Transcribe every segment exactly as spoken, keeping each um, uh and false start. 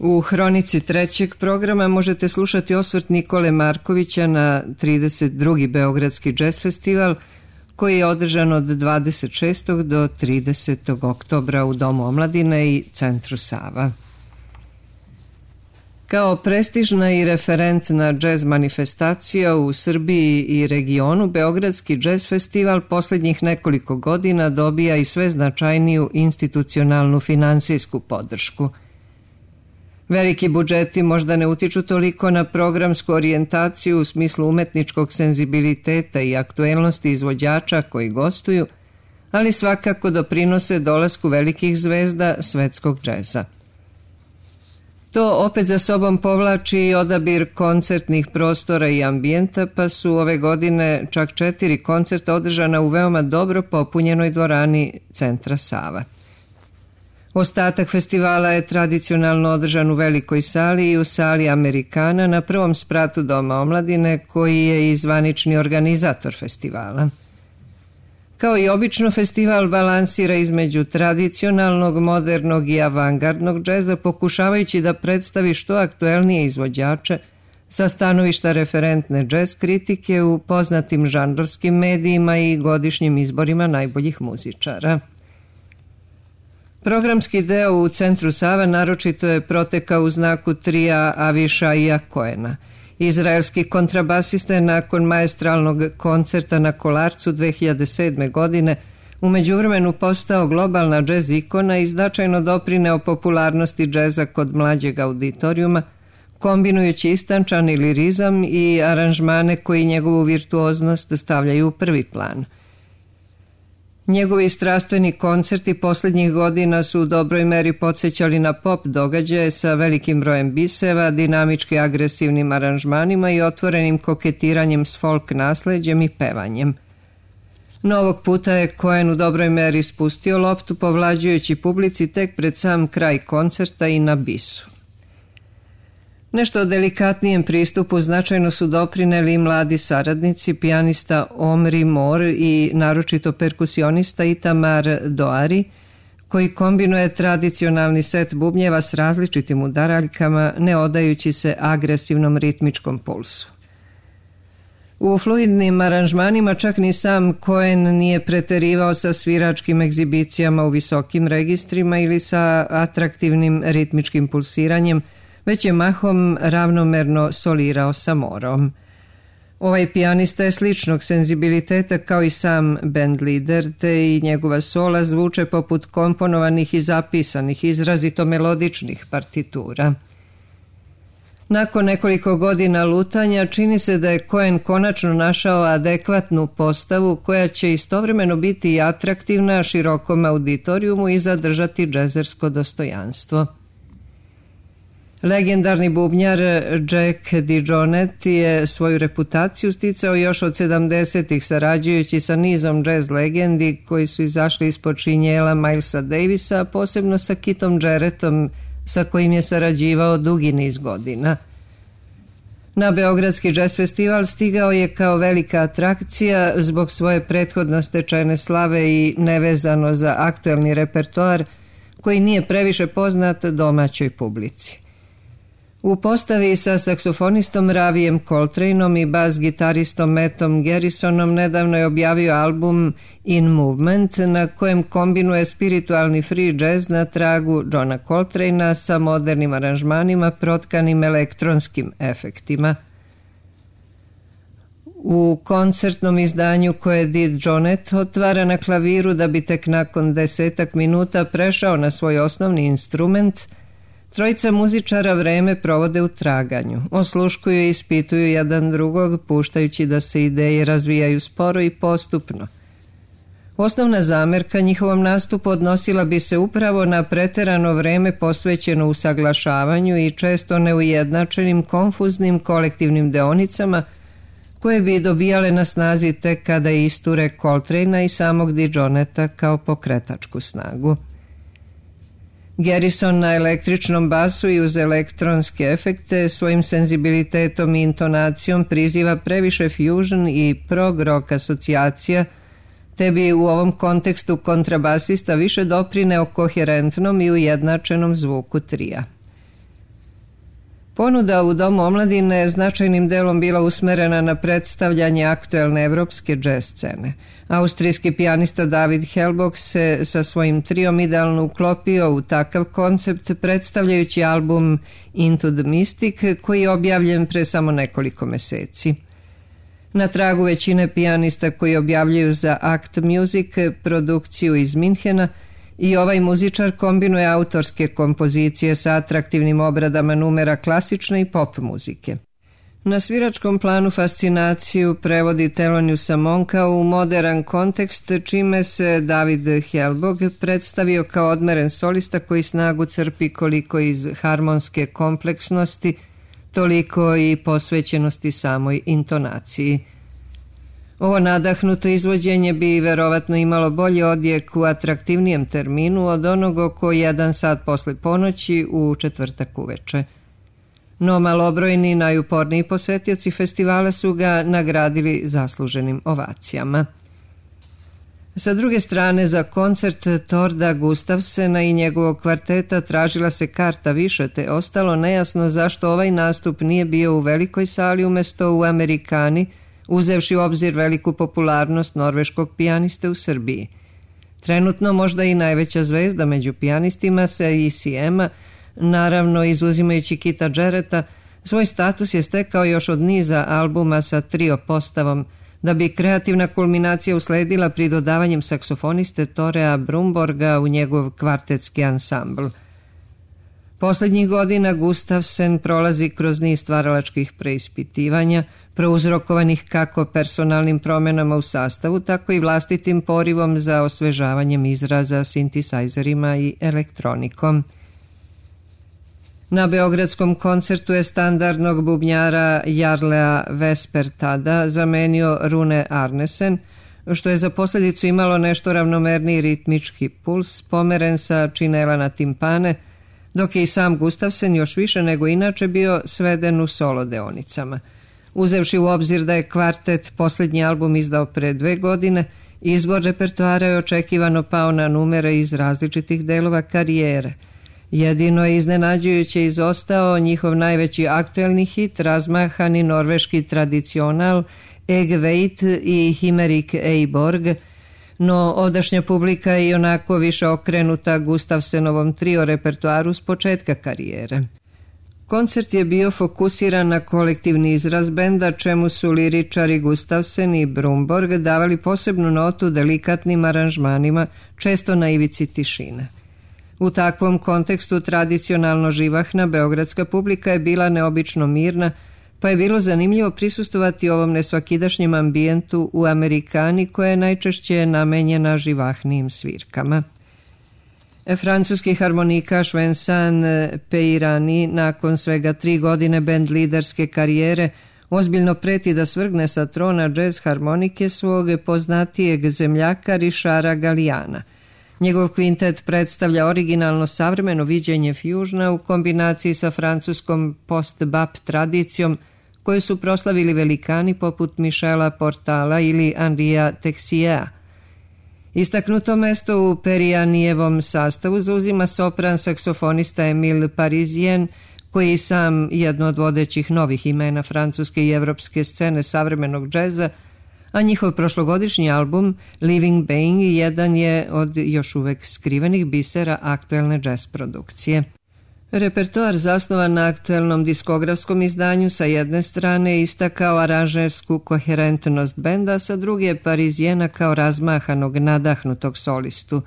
U hronici trećeg programa možete slušati osvrt Nikole Markovića na trideset drugi Beogradski džez festival koji je održan od dvadeset šestog do tridesetog oktobra u Domu omladine i Centru Sava. Kao prestižna i referentna džez manifestacija u Srbiji i regionu, Beogradski džez festival posljednjih nekoliko godina dobija i sve značajniju institucionalnu finansijsku podršku. Veliki budžeti možda ne utiču toliko na programsku orijentaciju u smislu umetničkog senzibiliteta i aktuelnosti izvođača koji gostuju, ali svakako doprinose dolasku velikih zvezda svetskog džeza. To opet za sobom povlači i odabir koncertnih prostora i ambijenta, pa su ove godine čak četiri koncerta održana u veoma dobro popunjenoj dvorani Centra Sava. Ostatak festivala je tradicionalno održan u velikoj sali i u sali Amerikana na prvom spratu Doma omladine, koji je i zvanični organizator festivala. Kao i obično, festival balansira između tradicionalnog, modernog i avangardnog džeza, pokušavajući da predstavi što aktuelnije izvođače sa stanovišta referentne džez kritike u poznatim žanrovskim medijima i godišnjim izborima najboljih muzičara. Programski deo u Centru Sava naročito je protekao u znaku trija Avishaija Cohena. Izraelski kontrabasista je nakon maestralnog koncerta na Kolarcu dve hiljade sedme. godine u međuvremenu postao globalna džez ikona i značajno doprineo popularnosti džeza kod mlađeg auditorijuma, kombinujući istančani lirizam i aranžmane koji njegovu virtuoznost stavljaju u prvi plan. Njegovi strastveni koncerti posljednjih godina su u dobroj meri podsjećali na pop događaje sa velikim brojem biseva, dinamički agresivnim aranžmanima i otvorenim koketiranjem s folk nasleđem i pevanjem. No ovog puta je Cohen u dobroj meri spustio loptu, povlađujući publici tek pred sam kraj koncerta i na bisu. Nešto o delikatnijem pristupu značajno su doprineli mladi saradnici, pijanista Omri Mor i naročito perkusionista Itamar Doari, koji kombinuje tradicionalni set bubnjeva s različitim udaraljkama, ne odajući se agresivnom ritmičkom pulsu. U fluidnim aranžmanima čak ni sam Cohen nije preterivao sa sviračkim egzibicijama u visokim registrima ili sa atraktivnim ritmičkim pulsiranjem, već je mahom ravnomerno solirao sa morom. Ovaj pijanista je sličnog senzibiliteta kao i sam band lider, te i njegova sola zvuče poput komponovanih i zapisanih, izrazito melodičnih partitura. Nakon nekoliko godina lutanja čini se da je Cohen konačno našao adekvatnu postavu koja će istovremeno biti i atraktivna širokom auditorijumu i zadržati džezersko dostojanstvo. Legendarni bubnjar Jack DeJohnette je svoju reputaciju sticao još od sedamdesetih sarađujući sa nizom džez legendi koji su izašli ispod šinjela Milesa Davisa, posebno sa Keithom Jarrettom sa kojim je sarađivao dugi niz godina. Na Beogradski džez festival stigao je kao velika atrakcija zbog svoje prethodno stečene slave i nevezano za aktuelni repertoar koji nije previše poznat domaćoj publici. U postavi sa saksofonistom Ravijem Coltraneom i bas-gitaristom Mattom Garrisonom nedavno je objavio album In Movement, na kojem kombinuje spiritualni free jazz na tragu Johna Coltranea sa modernim aranžmanima protkanim elektronskim efektima. U koncertnom izdanju koje DeJohnette otvara na klaviru da bi tek nakon desetak minuta prešao na svoj osnovni instrument, trojica muzičara vreme provode u traganju, osluškuju i ispituju jedan drugog, puštajući da se ideje razvijaju sporo i postupno. Osnovna zamerka njihovom nastupu odnosila bi se upravo na preterano vreme posvećeno usaglašavanju i često neujednačenim, konfuznim kolektivnim deonicama koje bi dobijale na snazi tek kada isture Coltranea i samog DeJohnetta kao pokretačku snagu. Garrison na električnom basu i uz elektronske efekte svojim senzibilitetom i intonacijom priziva previše fusion i prog rock asocijacija, te bi u ovom kontekstu kontrabasista više doprineo koherentnom i ujednačenom zvuku trija. Ponuda u Domu omladine je značajnim delom bila usmerena na predstavljanje aktuelne evropske džez scene. Austrijski pijanista David Hellbock se sa svojim triom idealno uklopio u takav koncept predstavljajući album Into the Mystic koji je objavljen pre samo nekoliko meseci. Na tragu većine pijanista koji objavljuju za Act Music produkciju iz Minhena, i ovaj muzičar kombinuje autorske kompozicije sa atraktivnim obradama numera klasične i pop muzike. Na sviračkom planu fascinaciju prevodi Theloniousa Monka u modern kontekst, čime se David Hellbock predstavio kao odmeren solista koji snagu crpi koliko iz harmonske kompleksnosti, toliko i posvećenosti samoj intonaciji. Ovo nadahnuto izvođenje bi verovatno imalo bolji odjek u atraktivnijem terminu od onog oko jedan sat posle ponoći u četvrtak uveče. No malobrojni najuporniji posetioci festivala su ga nagradili zasluženim ovacijama. Sa druge strane, za koncert Torda Gustafsena i njegovog kvarteta tražila se karta više, te ostalo nejasno zašto ovaj nastup nije bio u velikoj sali umesto u Amerikani, uzevši u obzir veliku popularnost norveškog pijaniste u Srbiji. Trenutno možda i najveća zvezda među pijanistima sa E C M-a, naravno izuzimajući Kita Jarretta, svoj status je stekao još od niza albuma sa trio postavom, da bi kreativna kulminacija usledila pri dodavanjem saksofoniste Torea Brumborga u njegov kvartetski ansambl. Poslednjih godina Gustafsen prolazi kroz niz stvaralačkih preispitivanja, prouzrokovanih kako personalnim promenama u sastavu, tako i vlastitim porivom za osvežavanjem izraza sintisajzerima i elektronikom. Na beogradskom koncertu je standardnog bubnjara Jarlea Vespertada zamenio Rune Arnesen, što je za posljedicu imalo nešto ravnomerniji ritmički puls, pomeren sa činela na timpane, dok je i sam Gustafsen još više nego inače bio sveden u solo deonicama. Uzevši u obzir da je kvartet posljednji album izdao pre dve godine, izbor repertoara je očekivano pao na numere iz različitih delova karijere. Jedino je iznenađujuće izostao njihov najveći aktuelni hit, razmahani norveški tradicional Eg Veit i Himmerik Eiborg, no ovdašnja publika je i onako više okrenuta Gustafsenovom trio repertoaru s početka karijere. Koncert je bio fokusiran na kolektivni izraz benda, čemu su liričari Gustafsen i Brumborg davali posebnu notu delikatnim aranžmanima, često na ivici tišine. U takvom kontekstu tradicionalno živahna beogradska publika je bila neobično mirna, pa je bilo zanimljivo prisustovati ovom nesvakidašnjem ambijentu u Amerikani koja je najčešće namenjena živahnijim svirkama. Francuski harmonikaš Vincent Peirani nakon svega tri godine band liderske karijere ozbiljno preti da svrgne sa trona džez harmonike svog poznatijeg zemljaka Richarda Galliana. Njegov kvintet predstavlja originalno savremeno viđenje fusiona u kombinaciji sa francuskom post-bap tradicijom koju su proslavili velikani poput Michela Portala ili Henria Texiera. Istaknuto mesto u Perijanijevom sastavu zauzima sopran saksofonista Emile Parisien, koji je sam jedno od vodećih novih imena francuske i evropske scene savremenog džeza, a njihov prošlogodišnji album Living Being jedan je od još uvek skrivenih bisera aktuelne džez produkcije. Repertoar zasnovan na aktuelnom diskografskom izdanju sa jedne strane istakao aranžersku koherentnost benda, sa druge Parizijena kao razmahanog, nadahnutog solistu.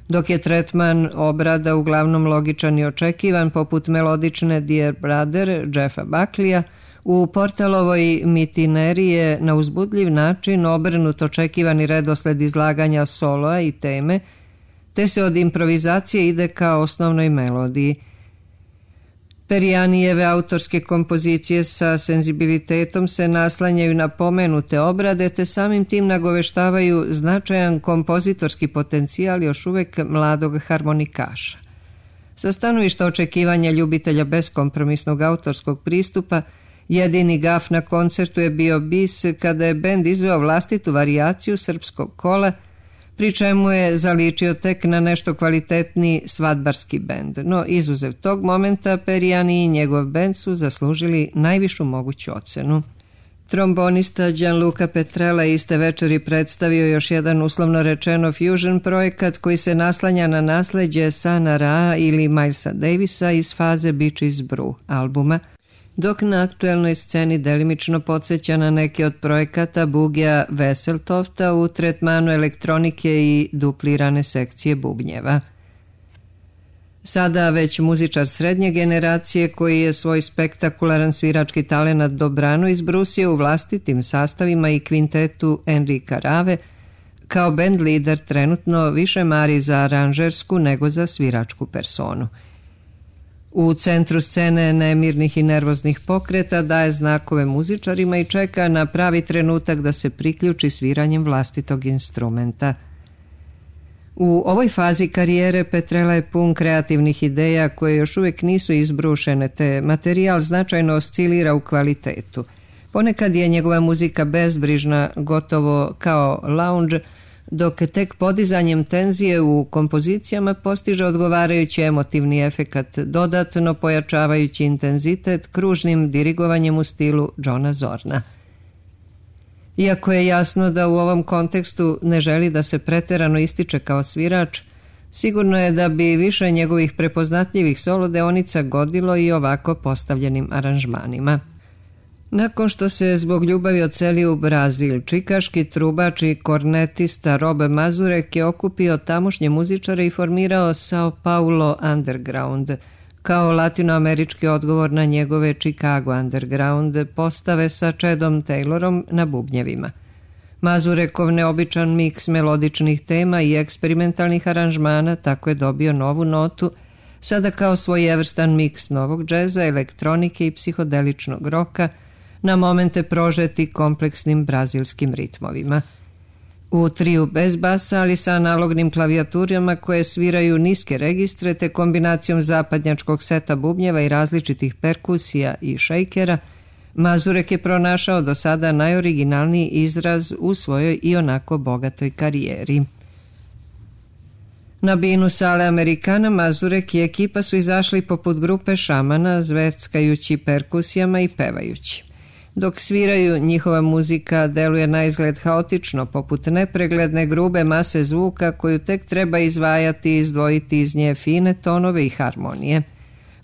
Dok je tretman obrada uglavnom logičan i očekivan, poput melodične Dear Brother Jeffa Buckleya, u Portalovoj Mitineri je na uzbudljiv način obrnut očekivani redosled izlaganja soloa i teme, te se od improvizacije ide ka osnovnoj melodiji. Perijanijeve autorske kompozicije sa senzibilitetom se naslanjaju na pomenute obrade, te samim tim nagoveštavaju značajan kompozitorski potencijal još uvek mladog harmonikaša. Sa stanovišta očekivanja ljubitelja beskompromisnog autorskog pristupa, jedini gaf na koncertu je bio bis kada je bend izveo vlastitu varijaciju srpskog kola, pri čemu je zaličio tek na nešto kvalitetniji svadbarski bend. No, izuzev tog momenta, Periani i njegov bend su zaslužili najvišu moguću ocenu. Trombonista Gianluca Petrella iste večeri predstavio još jedan uslovno rečeno fusion projekat koji se naslanja na nasleđe Sana Ra ili Milesa Davisa iz faze Bitches Brew albuma, dok na aktuelnoj sceni delimično podsjeća na neke od projekata Bugija Veseltofta u tretmanu elektronike i duplirane sekcije bubnjeva. Sada već muzičar srednje generacije koji je svoj spektakularan svirački talenat dobrano izbrusio u vlastitim sastavima i kvintetu Enrika Rave, kao band lider trenutno više mari za aranžersku nego za sviračku personu. U centru scene nemirnih i nervoznih pokreta daje znakove muzičarima i čeka na pravi trenutak da se priključi sviranjem vlastitog instrumenta. U ovoj fazi karijere Petrella je pun kreativnih ideja koje još uvijek nisu izbrušene, te materijal značajno oscilira u kvalitetu. Ponekad je njegova muzika bezbrižna, gotovo kao lounge, dok tek podizanjem tenzije u kompozicijama postiže odgovarajući emotivni efekat, dodatno pojačavajući intenzitet kružnim dirigovanjem u stilu Johna Zorna. Iako je jasno da u ovom kontekstu ne želi da se preterano ističe kao svirač, sigurno je da bi više njegovih prepoznatljivih solo deonica godilo i ovako postavljenim aranžmanima. Nakon što se zbog ljubavi odselio u Brazil, čikaški trubač i kornetista Rob Mazurek je okupio tamošnje muzičare i formirao Sao Paulo Underground, kao latinoamerički odgovor na njegove Chicago Underground postave sa Chadom Taylorom na bubnjevima. Mazurekov neobičan miks melodičnih tema i eksperimentalnih aranžmana tako je dobio novu notu, sada kao svojevrstan miks novog džeza, elektronike i psihodeličnog roka, na momente prožeti kompleksnim brazilskim ritmovima. U triju bez basa, ali sa analognim klavijaturama koje sviraju niske registre te kombinacijom zapadnjačkog seta bubnjeva i različitih perkusija i šejkera, Mazurek je pronašao do sada najoriginalniji izraz u svojoj i onako bogatoj karijeri. Na binu sale Amerikana Mazurek i ekipa su izašli poput grupe šamana, zveckajući perkusijama i pevajući. Dok sviraju, njihova muzika deluje na izgled haotično, poput nepregledne grube mase zvuka koju tek treba izvajati i izdvojiti iz nje fine tonove i harmonije.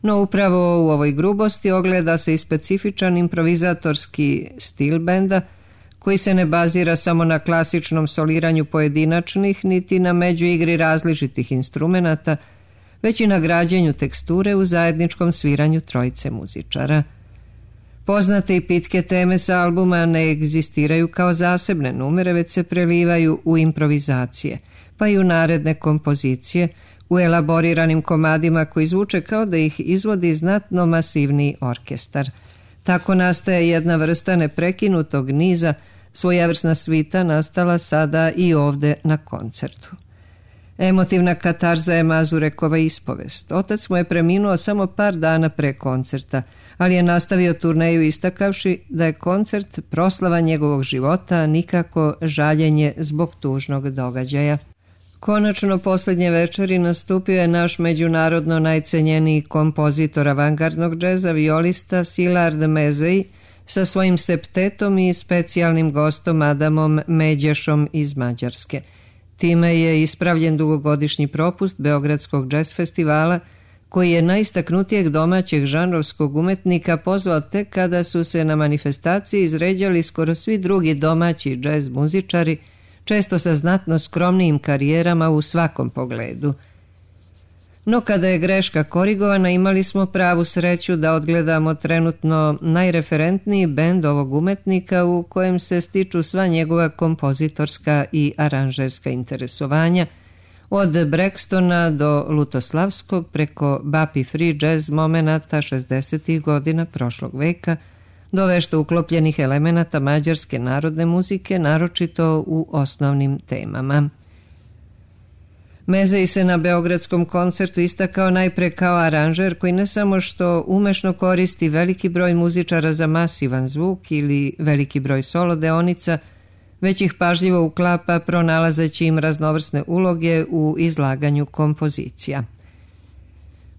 No upravo u ovoj grubosti ogleda se i specifičan improvizatorski stil benda, koji se ne bazira samo na klasičnom soliranju pojedinačnih, niti na međuigri različitih instrumenata, već i na građenju teksture u zajedničkom sviranju trojice muzičara. Poznate i pitke teme sa albuma ne egzistiraju kao zasebne numere, već se prelivaju u improvizacije, pa i u naredne kompozicije, u elaboriranim komadima koji zvuče kao da ih izvodi znatno masivniji orkestar. Tako nastaje jedna vrsta neprekinutog niza, svojevrsna svita nastala sada i ovde na koncertu. Emotivna katarza je Mazurekova ispovest. Otac mu je preminuo samo par dana pre koncerta, ali je nastavio turneju istakavši da je koncert proslava njegovog života, a nikako žaljenje zbog tužnog događaja. Konačno posljednje večeri nastupio je naš međunarodno najcenjeniji kompozitor avangardnog džeza, violista Szilard Mezej, sa svojim septetom i specijalnim gostom Adamom Međešom iz Mađarske. Time je ispravljen dugogodišnji propust Beogradskog džez festivala, koji je najistaknutijeg domaćeg žanrovskog umetnika pozvao tek kada su se na manifestaciji izređali skoro svi drugi domaći džez muzičari, često sa znatno skromnijim karijerama u svakom pogledu. No kada je greška korigovana, imali smo pravu sreću da odgledamo trenutno najreferentniji bend ovog umetnika u kojem se stiču sva njegova kompozitorska i aranžerska interesovanja, od Brextona do Lutoslavskog preko Bapi free jazz momenata šezdesetih godina prošlog veka, do vešto uklopljenih elemenata mađarske narodne muzike, naročito u osnovnim temama. Mezej se na beogradskom koncertu istakao najpre kao aranžer koji ne samo što umešno koristi veliki broj muzičara za masivan zvuk ili veliki broj solo deonica, već ih pažljivo uklapa pronalazeći im raznovrsne uloge u izlaganju kompozicija.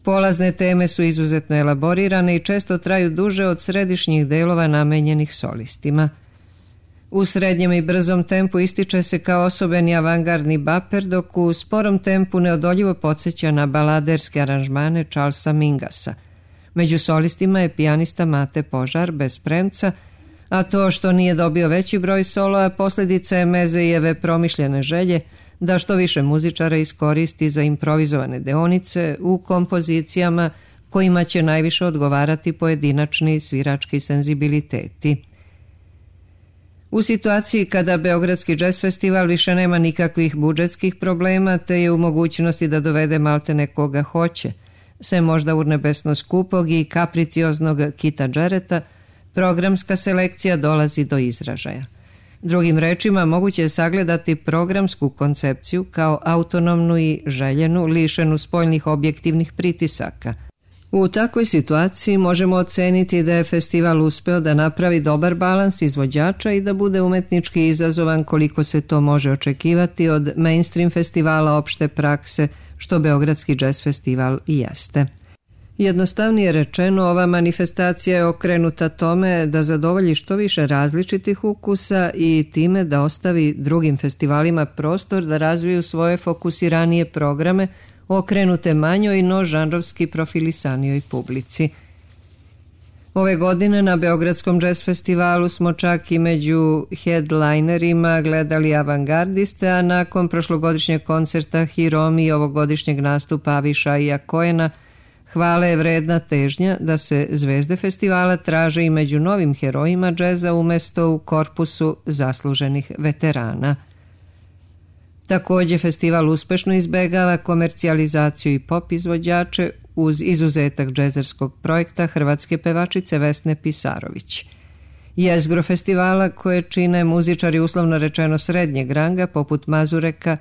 Polazne teme su izuzetno elaborirane i često traju duže od središnjih delova namenjenih solistima. U srednjem i brzom tempu ističe se kao osobeni avangardni baper, dok u sporom tempu neodoljivo podsjeća na baladerske aranžmane Charlesa Mingasa. Među solistima je pijanista Mate Požar bez premca, a to što nije dobio veći broj soloa posljedica je Mezejeve promišljene želje da što više muzičara iskoristi za improvizovane deonice u kompozicijama kojima će najviše odgovarati pojedinačni svirački senzibiliteti. U situaciji kada Beogradski džez festival više nema nikakvih budžetskih problema te je u mogućnosti da dovede maltene koga hoće, sem možda urnebesno skupog i kapricioznog Kita Džereta, programska selekcija dolazi do izražaja. Drugim rečima, moguće je sagledati programsku koncepciju kao autonomnu i željenu, lišenu spoljnih objektivnih pritisaka. U takvoj situaciji možemo oceniti da je festival uspeo da napravi dobar balans izvođača i da bude umetnički izazovan koliko se to može očekivati od mainstream festivala opšte prakse, što Beogradski jazz festival i jeste. Jednostavnije rečeno, ova manifestacija je okrenuta tome da zadovolji što više različitih ukusa i time da ostavi drugim festivalima prostor da razviju svoje fokusiranije programe okrenute manjoj no žanrovski profilisanijoj publici. Ove godine na Beogradskom jazz festivalu smo čak i među headlinerima gledali avangardiste, a nakon prošlogodišnjeg koncerta Hiromi i ovogodišnjeg nastupa Avišaija Koena hvale je vredna težnja da se zvezde festivala traže i među novim herojima džeza umesto u korpusu zasluženih veterana. Također festival uspešno izbegava komercijalizaciju i pop izvođače uz izuzetak džezerskog projekta hrvatske pevačice Vesne Pisarović. Jezgro festivala koje čine muzičari uslovno rečeno srednjeg ranga poput Mazureka,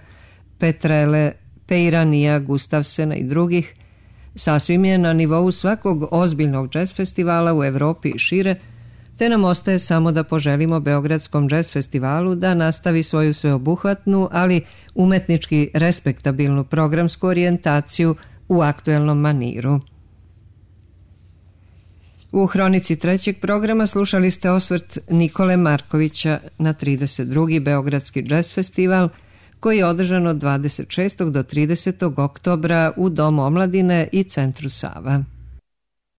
Petrele, Peiranija, Gustavsena i drugih, sasvim je na nivou svakog ozbiljnog džez festivala u Evropi i šire, te nam ostaje samo da poželimo Beogradskom jazz festivalu da nastavi svoju sveobuhvatnu, ali umetnički respektabilnu programsku orijentaciju u aktuelnom maniru. U hronici trećeg programa slušali ste osvrt Nikole Markovića na trideset drugi Beogradski jazz festival, koji je održan od dvadeset šestog do tridesetog oktobra u Domu omladine i Centru Sava.